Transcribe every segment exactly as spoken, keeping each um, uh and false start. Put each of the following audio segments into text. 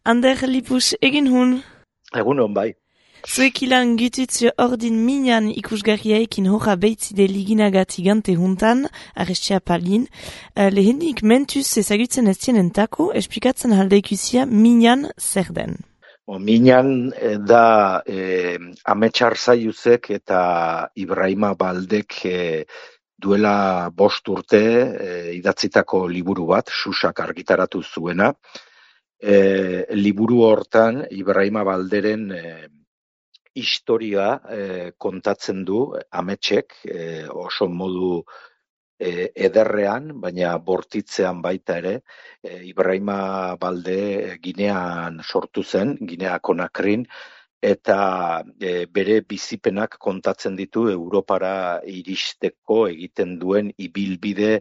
Ander Lipus egin hun. Egun hon bai. Zuek ilan gututze ordin minan ikusgarriaikin hoja beitzide liginagati gante juntan, arrestia palin. Uh, lehenik mentuz ezagutzen ez tienentako, esplikatzen haldeikusia minan zer den. O, minan da eh, Ametsar Zaiuzek eta Ibrahima Baldek eh, duela bost urte eh, idatzitako liburu bat, Susak argitaratu zuena. Eh, liburu hortan Ibrahima Balderen eh, historia eh, kontatzen du Ametsek eh, oso modu eh, ederrean, baina bortitzean baita ere. eh, Ibrahima Balde Ginean sortu zen, Ginea Konakrin, eta e, bere bizipenak kontatzen ditu Europara iristeko egiten duen ibilbide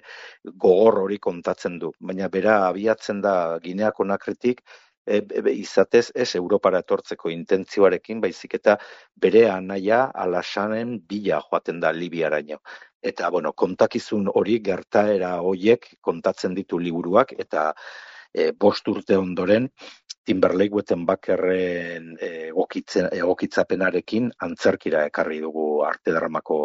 gogor hori kontatzen du. Baina bera abiatzen da Ginea Konakritik e, e, izatez ez Europara etortzeko intentzioarekin, baizik eta bere anaia Alasanen bila joaten da Libiaraino. Eta bueno, kontakizun hori gertaera horiek kontatzen ditu liburuak, eta e, bost urte ondoren Timberlake Wettenbakerren egokitzapenarekin antzerkira ekarri dugu arte dramako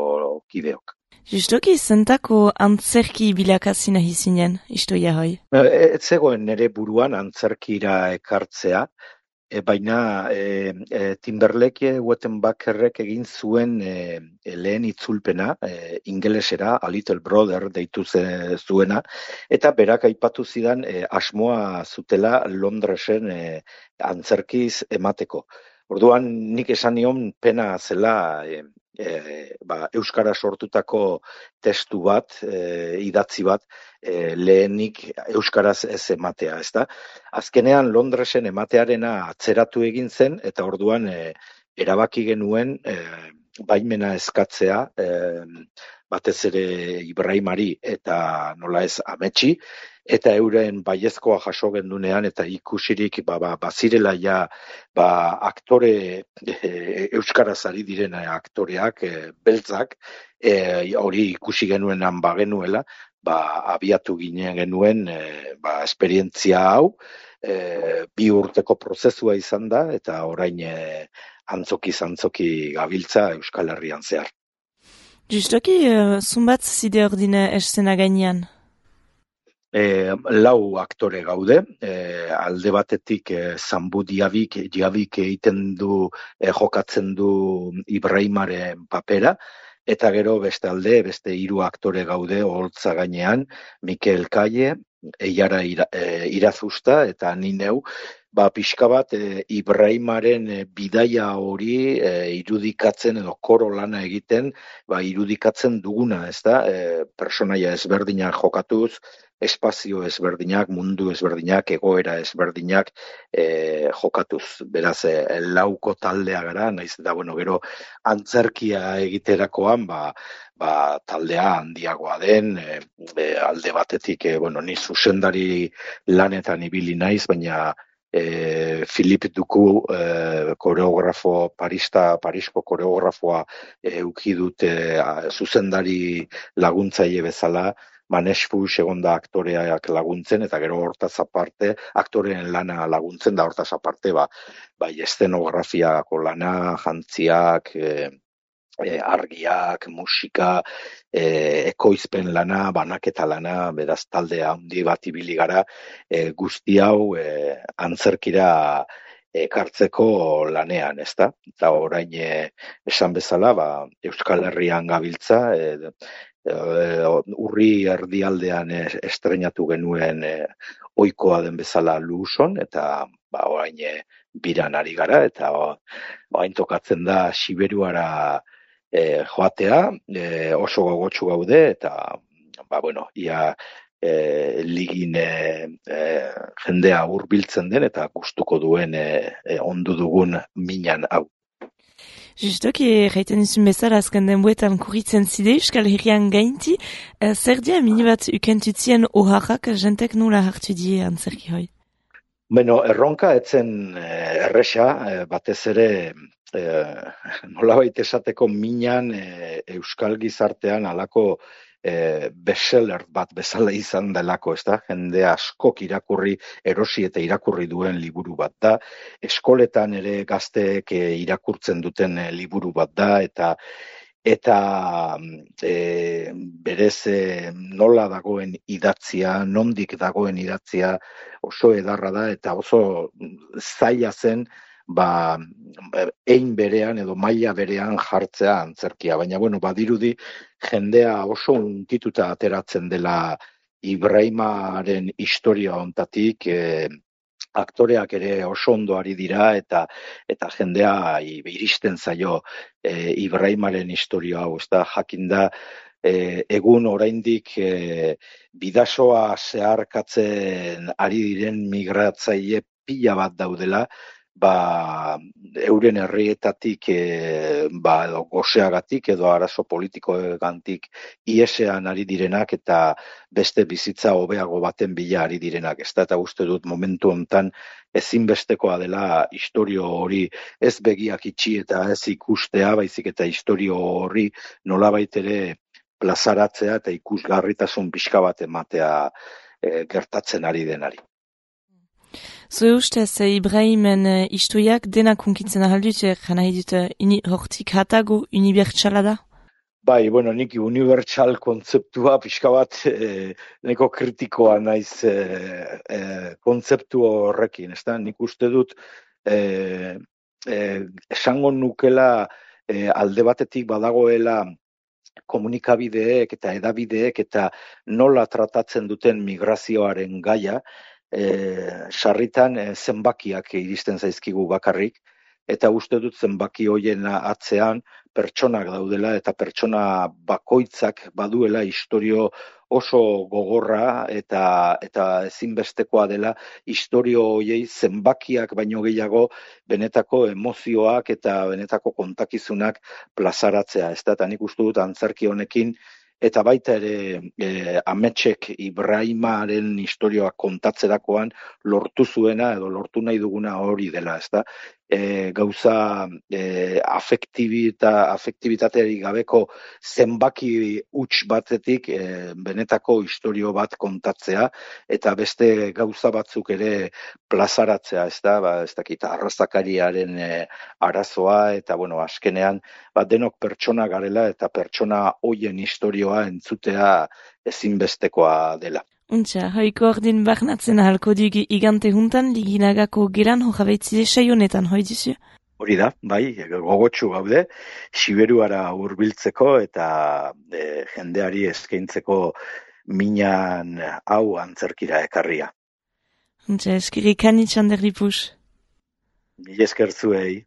kideok. Justoki zentako antzerki bilakazina hizinen, istoia hoi? Ez zegoen nire buruan antzerkira ekartzea, e, baina e, e, Timberlake Wettenbakerrek egin zuen e, lehen itzulpena, e, ingelesera, A Little Brother deitu zuena, eta berak aipatu zidan e, asmoa zutela Londresen e, antzerkiz emateko. Orduan nik esan nion pena zela e, e, ba, euskara sortutako testu bat, e, idatzi bat, e, lehenik euskaraz ez ematea, ezta? Azkenean Londresen ematearena atzeratu egin zen, eta orduan e, erabaki genuen e, baimena eskatzea, e, batez ere Ibrahimari eta nola ez Ametsi, eta euren baiezkoa jaso gendunean, eta ikusirik ba, ba, bazirela ja ba, aktore e, euskaraz ari diren aktoreak, e, beltzak, e, hori ikusi genuenan bagenuela, ba, abiatu ginen genuen e, ba, esperientzia hau, e, bi urteko prozesua izan da, eta orain e, antzoki-zantzoki gabiltza Euskal Herrian zehar. Justoki, uh, zumbat zide ordine eszena gainean? E, lau aktore gaude, e, alde batetik e, Zambu Diabik, Diabik egiten du, e, jokatzen du Ibrahimaren papera, eta gero beste alde, beste hiru aktore gaude oholtza gainean, Mikel Kaie, Eiara ira, e, Irazusta eta ni neu, ba pixka bat e, Ibrahimaren e, bidaia hori e, irudikatzen edo koro lana egiten, ba irudikatzen duguna, ezta? E, personaia ezberdinak jokatuz, espazio ezberdinak, mundu ezberdinak, egoera ezberdinak e, jokatuz. Beraz, e, lauko taldea gara, naiz eta bueno, gero antzerkia egiterakoan, ba, ba taldea handiagoa den, e, e, alde batetik, e, bueno, ni zuzendari lanetan ibili naiz, baina E, Philippe Duku e, koreografo, Parista, Parisko koreografoa e, uki dute zuzendari laguntzaile bezala, Manesfu segonda aktoreak laguntzen, eta gero hortaz aparte, aktoreen lana laguntzen, da hortaz aparte, ba, bai eszenografiako lana, jantziak, e, e, argiak, musika, e, ekoizpen lana, banaketa lana, beraz taldea handi bat ibili gara, e, guzti hau e, antzerkira ekartzeko lanean, ezta? Eta orain e, esan bezala, ba, Euskal Herrian gabiltza, e, e, urri erdialdean e, estrenatu genuen e, ohikoa den bezala Luson, eta ba, orain e, biran ari gara, eta orain tokatzen da Siberuara E, joatea, e, oso gogotsu gaude, eta ba, bueno, ia e, ligin e, e, jendea hurbiltzen den, eta gustuko duen e, e, ondu dugun minan hau. Justoki, jaiten izun bezala azken denbuetan kurritzen zide Euskal Herrian gainti, e, zer dia mini bat ukentutzien oharrak jentek nola hartu die antzerki hoi? Bueno, erronka etzen erresa, batez ere e, nolabait esateko minan e, Euskal gizartean halako e, bestseller bat bezala izan delako, ez da? Jende askok irakurri, erosi eta irakurri duen liburu bat da. Eskoletan ere gazteek e, irakurtzen duten e, liburu bat da, eta eta e, berez e, nola dagoen idatzia, nondik dagoen idatzia oso edarra da, eta oso zaila zen, ba, ein berean edo maila berean jartzea antzerkia. Baina, bueno, badirudi jendea oso unkituta ateratzen dela Ibrahimaren historia hontatik, e, aktoreak ere oso ondo ari dira, eta eta jendea iristen zaio e, Ibrahimaren historia hau, ez da, jakinda, e, egun oraindik e, bidasoa zeharkatzen ari diren migratzaile pila bat daudela, ba, euren herrietatik e, ba, edo goseagatik edo arazo politikoegantik iesean ari direnak eta beste bizitza hobeago baten bila ari direnak. Ez da, eta uste dut momentu hontan ezinbestekoa dela istorio hori ez begiak itxi eta ez ikustea, baizik eta istorio hori nolabait ere plazaratzea eta ikusgarritasun pixka bat ematea e, gertatzen ari denari. Zure ustez, Ibrahimen uh, istoiak denak hunkitzen ahaldut, jana edut, ini hortik hatago unibertsala da? Bai, bueno, nik unibertsal kontzeptua pixka bat eh, neko kritikoa naiz eh, eh, kontzeptu horrekin, ez da? Nik uste dut eh, eh, esango nukela eh, alde batetik badagoela komunikabideek eta edabideek eta nola tratatzen duten migrazioaren gaia, E, sarritan e, zenbakiak iristen zaizkigu bakarrik, eta uste dut zenbaki hoien atzean pertsonak daudela, eta pertsona bakoitzak baduela istorio oso gogorra, eta eta ezinbestekoa dela istorio hoiei zenbakiak baino gehiago benetako emozioak eta benetako kontakizunak plazaratzea. Ez da, eta nik uste dut antzerki honekin, eta baita ere e, ametsek Ibrahimaren historioak kontatzerakoan lortu zuena edo lortu nahi duguna hori dela, ezta? E, gauza e, afektibita, afektibitateari gabeko zenbaki huts batetik e, benetako istorio bat kontatzea eta beste gauza batzuk ere plazaratzea, ezta? Ba, ez dakit, arrazakariaren e, arazoa eta bueno, azkenean ba, denok pertsona garela eta pertsona hoien historioa entzutea ezinbestekoa dela. Untxa, hoiko ordin barnatzen ahalko dugu igante juntan, liginagako geran hojabeitzide saionetan, hoi dizu? Hori da, bai, gogotsu gaude, Siberuara hurbiltzeko eta e, jendeari eskaintzeko minan hau antzerkira ekarria. Untxa, eskiri kanitxan derripus. Mil esker zuei.